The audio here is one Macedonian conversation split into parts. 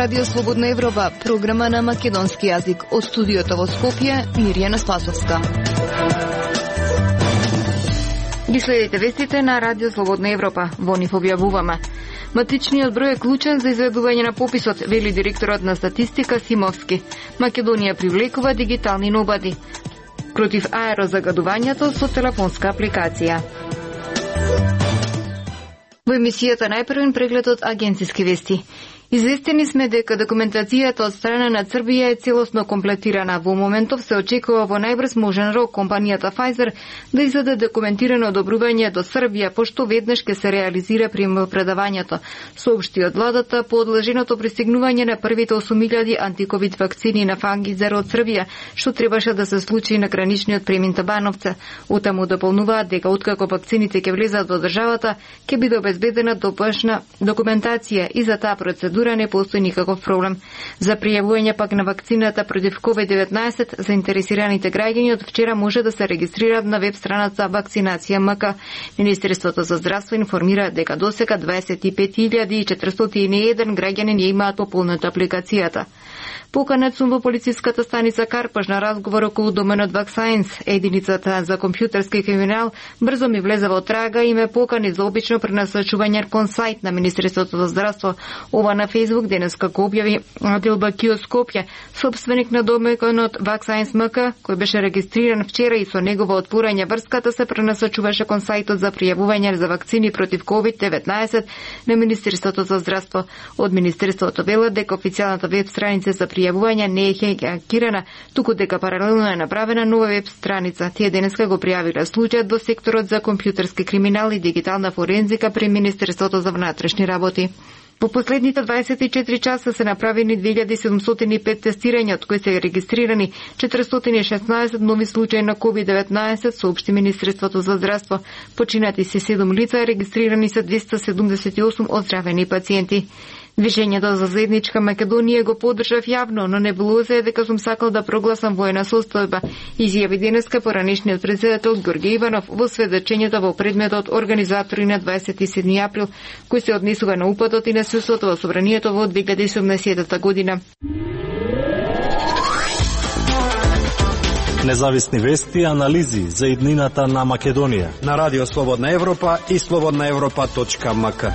Радио Слободна Европа, програма на македонски јазик. Од студиото во Скопје, Мирјана Спасовска. Ги следите вестите на Радио Слободна Европа. Во нив објавуваме. Матичниот број е клучен за изведување на пописот, вели директорот на статистика Симовски. Македонија привлекува дигитални нобади. Против аерозагадувањето со телефонска апликација. Во емисијата најпрвен преглед од агенциски вести. Известени сме дека документацијата од страна на Србија е целосно комплетирана. Во моментов се очекува во најбрз можен рок компанијата Pfizer да издаде документирано одобрување до Србија, пошто веднаш ќе се реализира примопредавањето. Соопшти од владата по одложеното пристигнување на првите 8.000 антиковид вакцини на Pfizer од Србија, што требаше да се случи на граничниот премин Табановце. Утаму дополнуваат дека откако вакцините ќе влезат во државата, ќе биде обезбедена допашна документација и за таа процедура не постои никаков проблем. За пријавување пак на вакцината против COVID-19, заинтересираните граѓани од вчера може да се регистрираат на веб страната Вакцинација МК. Министерството за здравство информира дека досега 25.401 граѓани не имаат пополната апликацијата. Поканет сум во полициската станица Карпаш на разговор околу доменот VacScience. Единицата за компјутерски криминал брзо ми влезе во трага и ме покани за обично пренасочување кон сајт на Министерството за здравство. Ова на Facebook денеска го објави Адил Бакио Скопје, собственик на доменот VacScience МК, кој беше регистриран вчера и со негово отворање врската се пренасочуваше кон сајтот за пријавување за вакцини против COVID-19 на Министерството за здравство. Од Министерството велат дека официјалната веб страница за пријавување не е хакирана, туку дека паралелно е направена нова веб страница. Тие денеска го пријавиле случајот во секторот за компјутерски криминал и дигитална форензика при Министерството за внатрешни работи. Во последните 24 часа се направени 2705 тестирања, од кои се регистрирани 416 нови случаи на COVID-19, соопшти Министерството за здравство. Починати се 7 лица, регистрирани се 278 оздравени пациенти. Движењето за заедничка Македонија го поддржав јавно, но небулоза е дека сум сакал да прогласам воена состојба, изјави денеска поранешниот председател Ѓорѓе Иванов во сведочењето во предметот Организатори на 27 април, кој се однесува на упадот и насилството во собранието во 2017 година. Независни вести и анализи за иднината на Македонија на Радио Слободна Европа и slobodnaevropa.mk.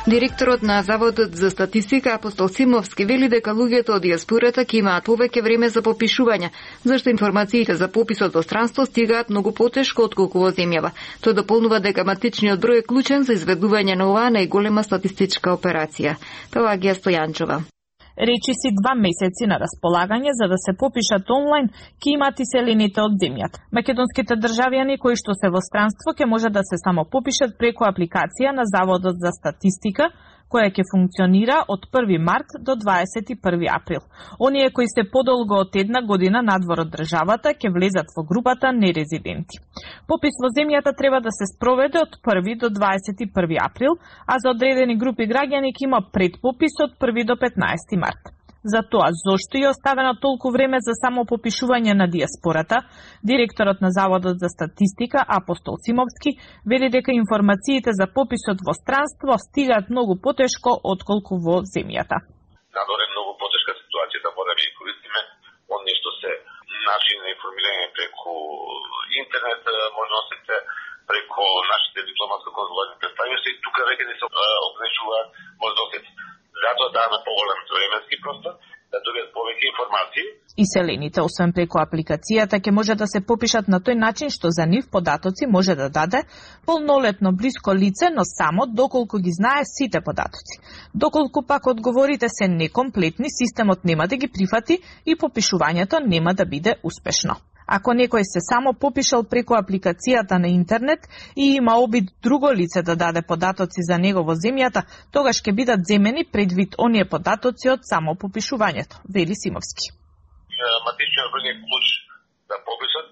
Директорот на Заводот за статистика Апостол Симовски вели дека луѓето од диаспората ќе имаат повеќе време за попишување, зашто информациите за пописот во странство стигаат многу потешко отколку во земјава. Тој дополнува дека матичниот број е клучен за изведување на оваа најголема статистичка операција. Пелагија Стојанчова. Речи си 2 месеци на располагање за да се попишат онлайн ќе имат иселените од земјата. Македонските државјани кои што се во странство ќе може да се само попишат преку апликација на Заводот за статистика, која ќе функционира од 1 март до 21 април. Оние кои се подолго од 1 година надвор од државата ќе влезат во групата нерезиденти. Попис во земјата треба да се спроведе од 1 до 21 април, а за одредени групи граѓани ќе има предпопис од 1 до 15 март. За тоа, зошто е оставено толку време за само попишување на диаспората, директорот на Заводот за статистика Апостол Симовски вели дека информациите за пописот во странство стигаат многу потешко отколку во земјата. Надвор е многу потешка ситуацијата, мора да ја користиме оние што се начини на информирање преку интернет, можностите преку нашите дипломатско-конзуларни представници и тука веќе не се ограничуваат можностите. Затоа даваме поголем временски простор да добијат повеќе информации. Иселените, освен преку апликацијата, ќе може да се попишат на тој начин што за нив податоци може да даде полнолетно блиско лице, но само доколку ги знае сите податоци. Доколку пак одговорите се некомплетни, системот нема да ги прифати и попишувањето нема да биде успешно. Ако некој се само попишал преку апликацијата на интернет и има обид друго лице да даде податоци за него во земјата, тогаш ќе бидат земени предвид оние податоци од само попишувањето, вели Симовски. Матичниот број е клуч за пописот.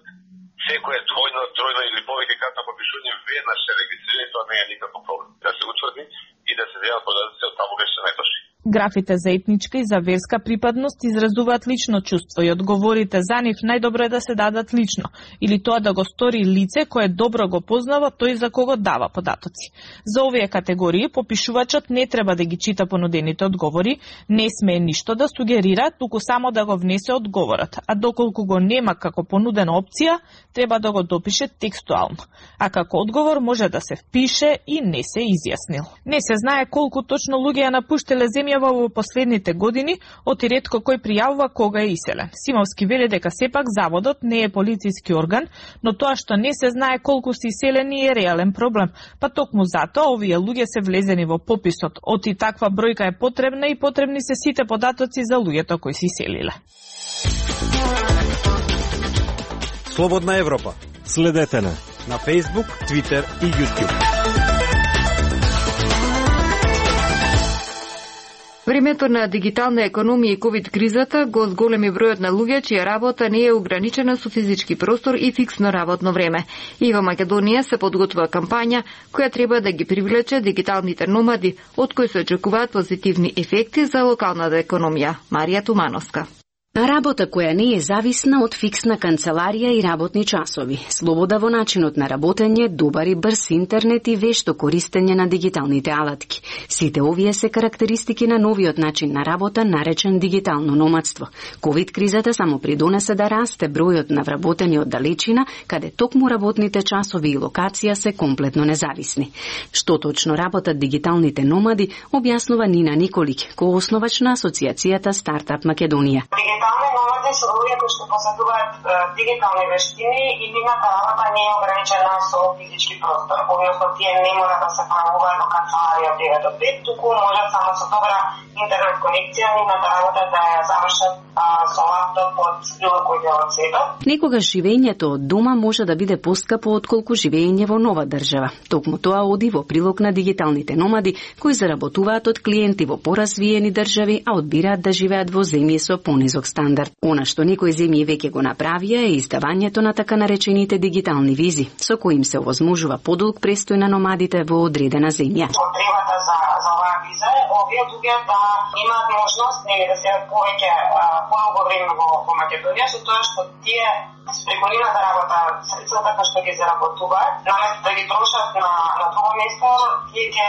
Секој е двојно, тројно или повеќе кратно попишување веднаш се регистрира, тоа не е никаков проблем. Да се утврди и да се земат податоци од таму кај се најточни. Графите за етничка и за верска припадност изразуваат лично чувство и одговорите за нив најдобро е да се дадат лично, или тоа да го стори лице кое добро го познава тој за кого дава податоци. За овие категории попишувачот не треба да ги чита понудените одговори, не смее ништо да сугерира, туку само да го внесе одговорот, а доколку го нема како понудена опција, треба да го допише текстуално. А како одговор може да се впише и не се изјаснил. Не се знае колку точно луѓе ја напуштиле земјава во последните години, оти ретко кој пријавува кога е иселен. Симовски вели дека сепак заводот не е полициски орган, но тоа што не се знае колку се иселени е реален проблем. Па токму затоа овие луѓе се влезени во пописот. Оти таква бројка е потребна и потребни се сите податоци за луѓето кои се иселиле. Слободна Европа. Следете на Facebook, Twitter и YouTube. Времето на дигитална економија и ковид кризата го зголеми бројот на луѓе чија работа не е ограничена со физички простор и фиксно работно време. И во Македонија се подготвува кампања која треба да ги привлече дигиталните номади, од кои се очекуваат позитивни ефекти за локалната економија. Марија Тумановска. Работа која не е зависна од фиксна канцеларија и работни часови, слобода во начинот на работење, добар и брз интернет и вешто користење на дигиталните алатки. Сите овие се карактеристики на новиот начин на работа наречен дигитално номадство. Ковид кризата само придонесе да расте бројот на вработени од далечина, каде токму работните часови и локација се комплетно независни. Што точно работат дигиталните номади, објаснува Нина Николик, коосновач на Асоциацијата Стартап Македонија. Дигитални номади се луѓе кои што посетуваат дигитални вештини и нивната работа не е ограничена со физички простор, односно тие не мора да се правуваат во канцеларија од 9 до 5, туку можат само со добра интернет конекција нивната работа да ја завршат со лаптоп од било кој дел од светот. Некогаш живењето од дома може да биде поскапо отколку живење во нова држава. Токму тоа оди во прилог на дигиталните номади кои заработуваат од клиенти во поразвиени држави, а одбираат да живеат во земји со понизок стандард. Она што некои земји веќе го направија е издавањето на така наречените дигитални визи, со кои им се овозможува подолг престој на номадите во одредена земја. Потребата за оваа виза е овие луѓе да имаат можност да се повеќе подолго време во Македонија, со тоа што тие преку нивната работа, средствата кои што ги заработуваат, наместо да ги трошат на друго место, тие ќе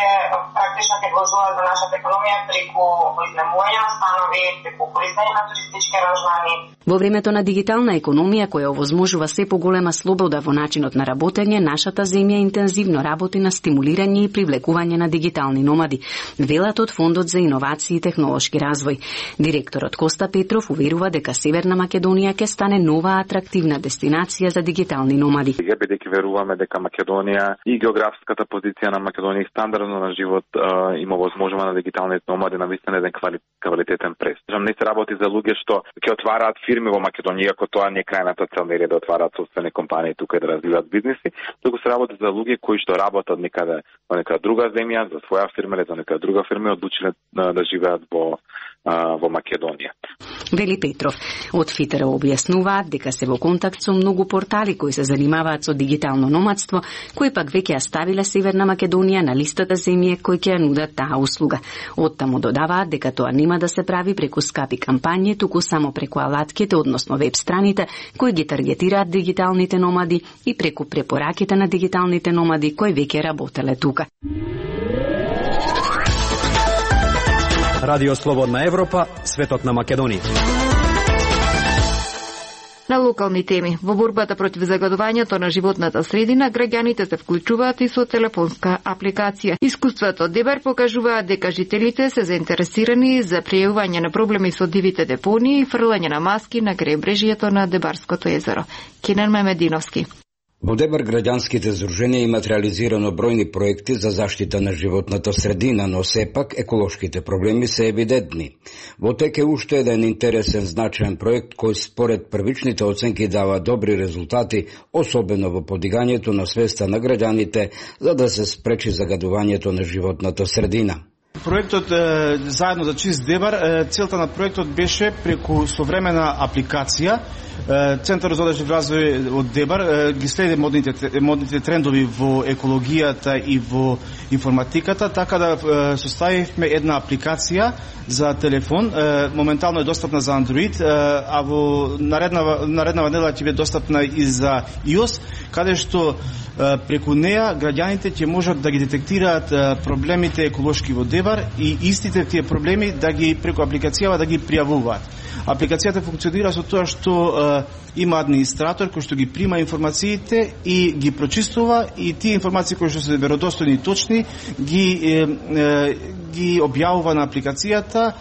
практично ќе вложуваат во нашата економија преку изнемување на станови, преку користење на туристички аранжмани. Во времето на дигитална економија која овозможува се поголема слобода во начинот на работење, нашата земја интензивно работи на стимулирање и привлекување на дигитални номади, велат од Фондот за иновации и технолошки развој. Директорот Коста Петров уверува дека Северна Македонија ќе стане нова атрактивна дестинација за дигитални номади. Бидејќи веруваме дека Македонија и географската позиција на Македонија и стандардно на живот има возможува на дигиталните номади на вистина еден квалитетен престой. Не се работи за луѓе што ќе отвараат фирми во Македонија, иако тоа не е крајната цел, нели да отвараат собствени компании тука и да развиваат бизниси, туку се работи за луѓе кои што работат некаде во нека друга земја, за своја фирма или за нека друга фирма, одлучиле да живеат во Македонија. Вели Петров. Од ФИТР објаснуваат дека се во контакт со многу портали кои се занимаваат со дигитално номадство, кои пак веќе ја ставиле Северна Македонија на листата земји кои ќе ја нудат таа услуга. Оттаму додаваат дека тоа нема да се прави преку скапи кампањи, туку само преку алатките, односно веб страните, кои ги таргетираат дигиталните номади и преку препораките на дигиталните номади кои веќе работеле тука. Радио Слободна Европа, светот на Македонија. На локални теми. Во борбата против загадувањето на животната средина, граѓаните се вклучуваат и со телефонска апликација. Искуството ДЕБАР покажуваат дека жителите се заинтересирани за пријавување на проблеми со дивите депонии и фрлање на маски на крајбрежјето на Дебарското езеро. Кинан Мемединовски. Во ДЕБАР граѓанските здруженија имат реализирано бројни проекти за заштита на животната средина, но сепак еколошките проблеми се евидентни. Во тек е уште еден интересен значаен проект кој според првичните оценки дава добри резултати, особено во подигањето на свеста на граѓаните за да се спречи загадувањето на животната средина. Проектот заедно за чист Дебар, целта на проектот беше преку современа апликација. Центарот за одржив развој од Дебар ги следи модните трендови во екологијата и во информатиката, така да составивме една апликација за телефон. Моментално е достапна за Android, а во нареднава недела ќе биде достапна и за iOS, каде што преку неа граѓаните ќе можат да ги детектираат проблемите еколошки во Дебар и истите тие проблеми да ги преку апликацијава да ги пријавуваат. Апликацијата функционира со тоа што има администратор кој што ги прима информациите и ги прочистува, и тие информации кои што се веродостојни и точни ги објавува на апликацијата,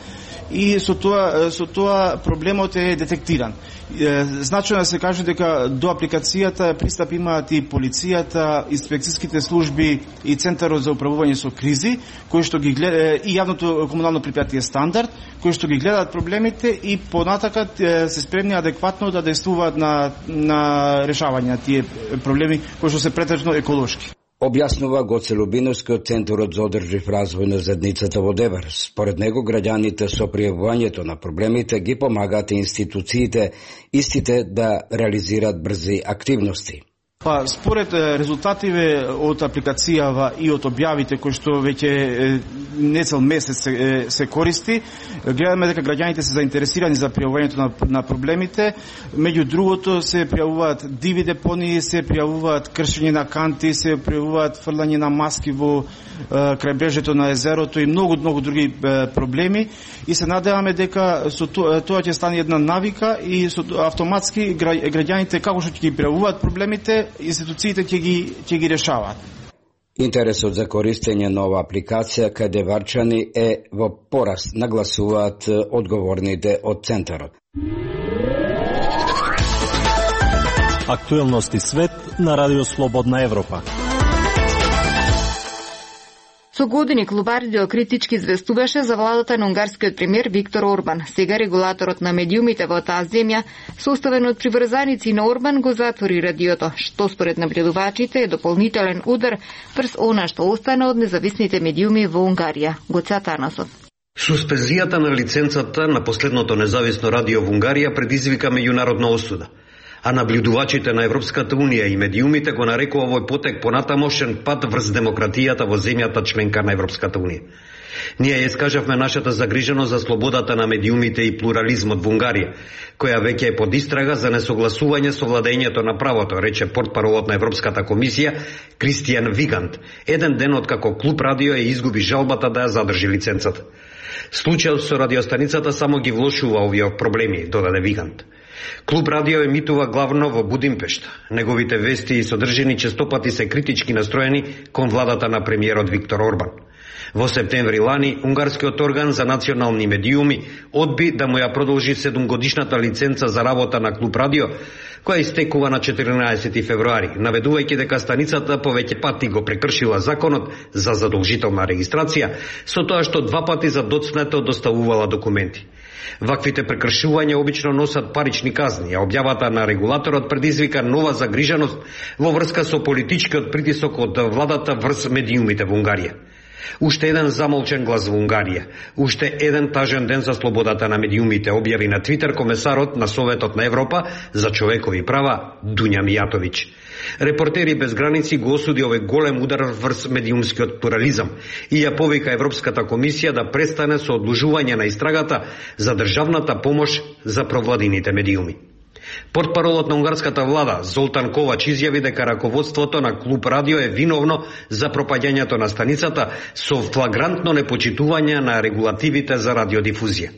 и со тоа проблемот е детектиран. Значено да се каже дека до апликацијата пристап имаат и полицијата, инспекцијските служби и Центарот за управување со кризи, кои што ги гледа, и јавното комунално предпријатие Стандард, кои што ги гледаат проблемите и понатака се спремни адекватно да действуваат на решавање на тие проблеми кои што се претежно еколошки. Објаснува Гоце Любиновски од Центарот за одржив развој на заедницата во Дебар. Според него, граѓаните со пријавувањето на проблемите ги помагаат институциите истите да реализираат брзи активности. Според резултативе од апликацијава и од објавите кои што веќе не цел месец се користи, гледаме дека граѓаните се заинтересирани за пријавувањето на проблемите. Меѓу другото се пријавуваат диви депонии, се пријавуваат кршење на канти, се пријавуваат фрлање на маски во крајбрежјето на езерото и многу други проблеми, и се надеваме дека со тоа ќе стане една навика и со автоматски граѓаните како што ќе ги пријавуваат проблемите, институциите ќе ги решаваат. Интересот за користење на ова апликација кај деварчани е во пораст, нагласуваат одговорните од Центарот. Актуелности свет на Радио Слободна Европа. Со години Клуб Радио критички известуваше за владата на унгарскиот премиер Виктор Орбан. Сега регулаторот на медиумите во таа земја, составен од приврзаници на Орбан, го затвори радиото, што според набредувачите е дополнителен удар врз она што остана од независните медиуми во Унгарија. Гоце Атанасов. Суспензијата на лиценцата на последното независно радио во Унгарија предизвика меѓународна осуда, а наблюдувачите на Европската Унија и медиумите го нарекува овој потек понатамошен пат врз демократијата во земјата членка на Европската Унија. Ние ја искажавме нашата загриженост за слободата на медиумите и плурализмот во Унгарија, која веќе е под истрага за несогласување со владењето на правото, рече портпаролот на Европската комисија Кристијан Вигант, еден ден откако Клуб Радио ја изгуби жалбата да ја задржи лиценцата. Случајот со радиостаницата само ги влошува овие проблеми, додаде Вигант. Клуб Радио емитува главно во Будимпешта. Неговите вести и содржини честопати се критички настроени кон владата на премиерот Виктор Орбан. Во септември лани, унгарскиот орган за национални медиуми одби да му ја продолжи 7-годишната лиценца за работа на Клуб Радио, која истекува на 14 февруари, наведувајќи дека станицата повеќе пати го прекршила законот за задолжителна регистрација, со тоа што 2 пати за доцнето доставувала документи. Ваквите прекршувања обично носат парични казни, а објавата на регулаторот предизвика нова загриженост во врска со политичкиот притисок од владата врз медиумите во Унгарија. Уште еден замолчен глас во Унгарија, уште еден тажен ден за слободата на медиумите, објави на Твитер комесарот на Советот на Европа за човекови права Дуња Мијатовиќ. Репортери без граници го осуди овој голем удар врз медиумскиот плурализам и ја повика Европската комисија да престане со одложување на истрагата за државната помош за провладините медиуми. Портпаролот на унгарската влада Золтан Ковач изјави дека раководството на Клуб Радио е виновно за пропаѓањето на станицата со флагрантно непочитување на регулативите за радиодифузија.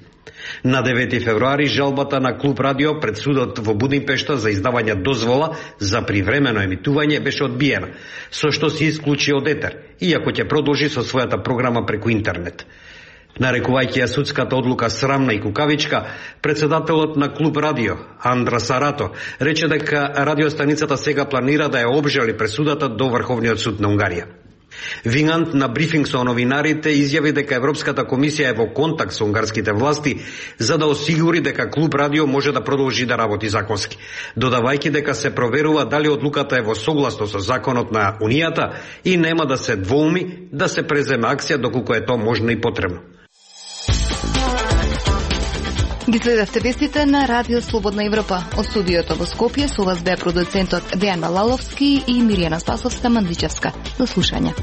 На 9 февруари жалбата на Клуб Радио пред судот во Будимпешта за издавање дозвола за привремено емитување беше одбиена, со што се исклучи од етер, иако ќе продолжи со својата програма преку интернет. Нарекувајќи ја судската одлука срамна и кукавичка, председателот на Клуб Радио, Андра Сарато, рече дека радиостаницата сега планира да ја обжали пресудата до Врховниот суд на Унгарија. Вингант на брифинг со новинарите изјави дека Европската комисија е во контакт со унгарските власти за да осигури дека Клуб Радио може да продолжи да работи законски, додавајќи дека се проверува дали одлуката е во согласно со законот на Унијата и нема да се двоуми да се преземе акција доколку е тоа можно и потребно. Ги следевте вестите на Радио Слободна Европа. Од студиото во Скопје со вас беа продуцентот Дејан Малаловски и Миријана Спасовска Мандличевска. До слушање.